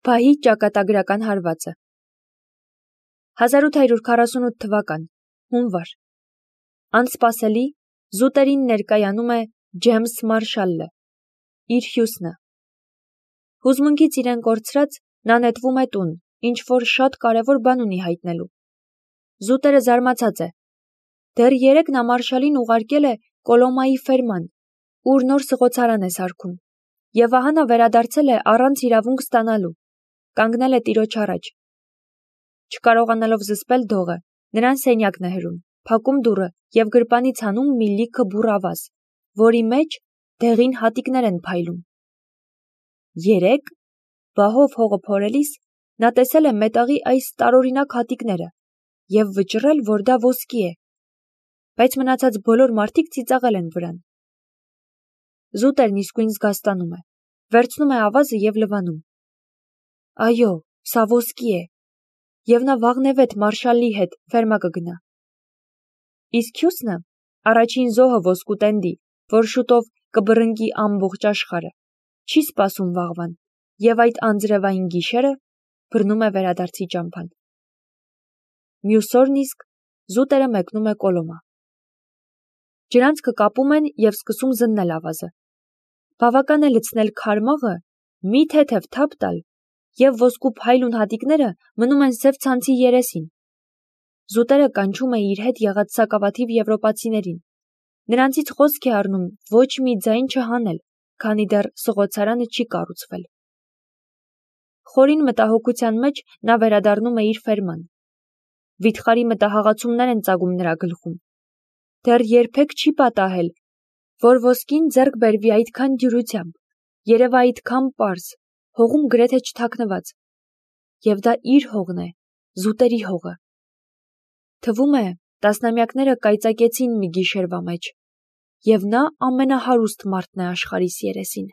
Փահի ճակատագրական հարվածը 1848 թվական հունվար Անսպասելի զուտերին ներկայանում է Ջեյմս Մարշալը իր հյուսնը հուզմունքից իրեն կորցրած նա նետվում է տուն ինչ-որ շատ կարևոր բան ունի հայտնելու զուտերը զարմացած է դեռ երեկ նա Մարշալին ուղարկել է Կոլոմայի ֆերման ուր նոր սղոցարան է սարքում եւ ահա նա վերադարձել է առանց իրավունք ստանալու կանգնել է տիրոջ առաջ չկարողանալով զսպել դողը նրան սենյակն է հրում փակում դուռը եւ գրպանից հանում մի լիքը բուռ ավազ որի մեջ դեղին հատիկներ են փայլում երեկ բահով հողը փորելիս նա տեսել է մետաղի այս տարօրինակ հատիկները եւ վճռել որ դա ոսկի է բայց մնացած բոլոր մարդիկ ծիծաղել են վրան զուտերն իսկույն զգաստանում է վերցնում է ավազը եւ լվանում այո սա ոսկի է եւ նա վաղնեվեթ Մարշալի հետ ֆերմա կգնա իսկ հյուսնը առաջին զոհը ոսկու տենդի որ շուտով կբռնկի ամբողջ աշխարհը չի սպասում վաղվան եւ այդ անձրևային գիշերը բռնում է վերադարձի ճամփան մյուս օրն իսկ զուտերը մեկնում է Կոլոմա ջրանցքը կապում են եւ սկսում զննել ավազը բավական է լցնել քարմաղը մի թեթև թափ տալ եւ ոսկու փայլուն հատիկները մնում են սև ցանցի երեսին զուտերը կանչում է իր հետ եղած սակավաթիվ եվրոպացիներին նրանցից խոսք է առնում ոչ մի ձայն չհանել քանի դեռ սղոցարանը չի կառուցվել խորին մտահոգության մեջ նա վերադառնում է իր ֆերման վիթխարի մտահաղացումներ են ծագում նրա գլխում դեռ երբեք չի պատահել որ ոսկին ձեռք բերվի այդքան դյուրությամբ երևա այդքան պարզ հողում գրեթե չթաքնված եւ դա իր հողն է զուտերի հողը թվում է տասնամյակները կայծակեցին մի գիշերվա մեջ եւ նա ամենահարուստ մարդն է աշխարհիս երեսին